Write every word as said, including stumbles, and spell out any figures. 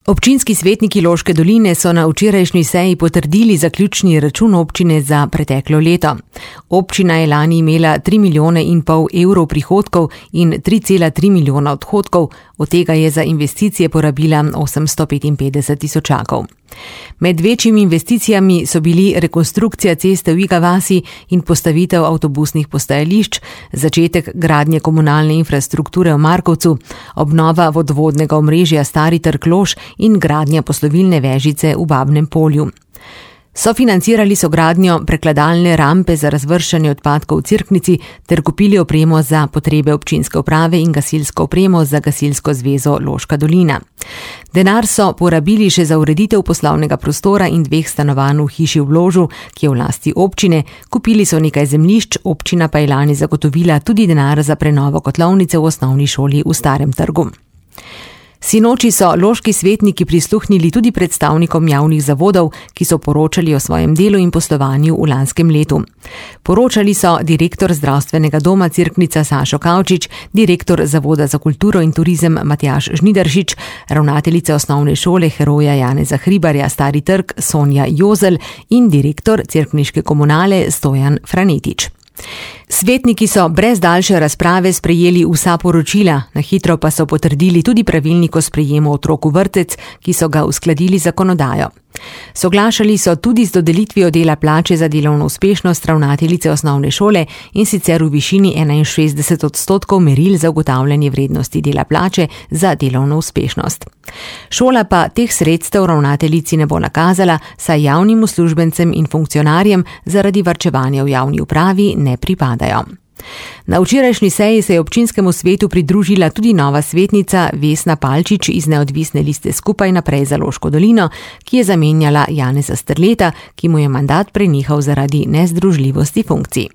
Občinski svetniki Loške doline so na včerajšnji seji potrdili zaključni račun občine za preteklo leto. Občina je lani imela tri milijone in pol evrov prihodkov in tri cela tri milijona odhodkov, od tega je za investicije porabila osemsto petinpetdeset tisočakov. Med večjimi investicijami so bili rekonstrukcija ceste v Iga vasi in postavitev avtobusnih postajališč, začetek gradnje komunalne infrastrukture v Markovcu, obnova vodovodnega omrežja Stari trg Lož in gradnja poslovilne vežice v Babnem Polju. Sofinancirali so gradnjo prekladalne rampe za razvrščanje odpadkov v Cerknici ter kupili opremo za potrebe občinske uprave in gasilsko opremo za Gasilsko zvezo Loška dolina. Denar so porabili še za ureditev poslovnega prostora in dveh stanovanj v hiši v Ložu, ki je v lasti občine, kupili so nekaj zemljišč, občina pa je lani zagotovila tudi denar za prenovo kotlovnice v osnovni šoli v Starem trgu. Sinoči so loški svetniki prisluhnili tudi predstavnikom javnih zavodov, ki so poročali o svojem delu in poslovanju v lanskem letu. Poročali so direktor zdravstvenega doma Cerknica Sašo Kavčič, direktor Zavoda za kulturo in turizem Matjaž Žnidaršič, ravnateljica osnovne šole Heroja Janeza Hribarja Stari trg Sonja Jozel in direktor cerkniške komunale Stojan Franetič. Svetniki so brez daljše razprave sprejeli vsa poročila, na hitro pa so potrdili tudi pravilnik o sprejemu otrok v vrtec, ki so ga uskladili z zakonodajo. Soglašali so tudi z dodelitvijo dela plače za delovno uspešnost ravnateljice osnovne šole in sicer v višini enainšestdeset odstotkov meril za ugotavljanje vrednosti dela plače za delovno uspešnost. Šola pa teh sredstev ravnateljici ne bo nakazala, saj javnim uslužbencem in funkcionarjem zaradi varčevanja v javni upravi ne pripadajo. Na včerajšnji seji se je občinskemu svetu pridružila tudi nova svetnica Vesna Palčič iz neodvisne liste Skupaj naprej za Loško dolino, ki je zamenjala Janeza Strleta, ki mu je mandat prenehal zaradi nezdružljivosti funkcij.